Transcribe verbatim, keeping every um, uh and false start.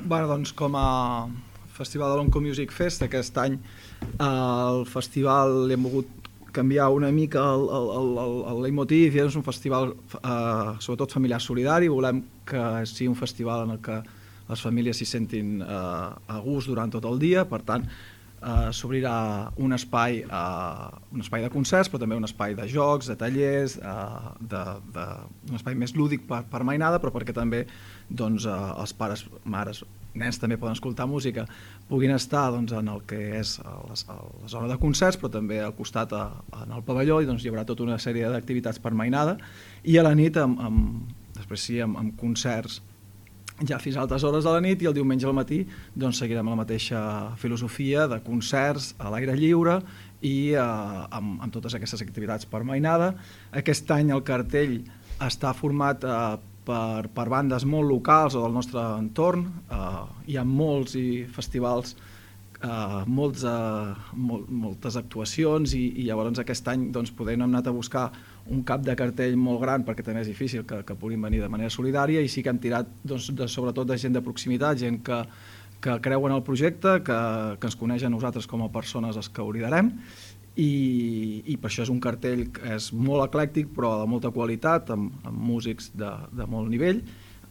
Bueno, doncs com a festival de l'Onco Music Fest aquest any al festival li hem volgut canviar una mica el, el, el, el leitmotiv, i és un festival eh, sobretot familiar solidari. Volem que sigui un festival en el que les famílies s'hi sentin eh, a gust durant tot el dia. Per tant, eh, s'obrirà un espai eh, un espai de concerts, però també un espai de jocs, de tallers, eh, de, de, un espai més lúdic per, per mainada, però perquè també doncs, eh, els pares, mares, nens també poden escoltar música, puguin estar doncs, en el que és la, la zona de concerts, però també al costat a, en el pavelló, i doncs, hi haurà tota una sèrie d'activitats per mainada, i a la nit amb, amb, després sí, amb, amb concerts ja fins a altes hores de la nit, i el diumenge al matí doncs, seguirem la mateixa filosofia de concerts a l'aire lliure i eh, amb, amb totes aquestes activitats per mainada. Aquest any el cartell està format eh, Per, per bandes molt locals o del nostre entorn. Uh, hi ha molts i festivals, uh, molts, uh, mol, moltes actuacions, i, i llavors aquest any doncs, poder hem anat a buscar un cap de cartell molt gran, perquè també és difícil que, que puguin venir de manera solidària, i sí que hem tirat doncs, de, sobretot de gent de proximitat, gent que, que creu en el projecte, que, que ens coneix a nosaltres com a persones els que ho liderem. I, i per això és un cartell que és molt eclèctic però de molta qualitat, amb, amb músics de, de molt nivell,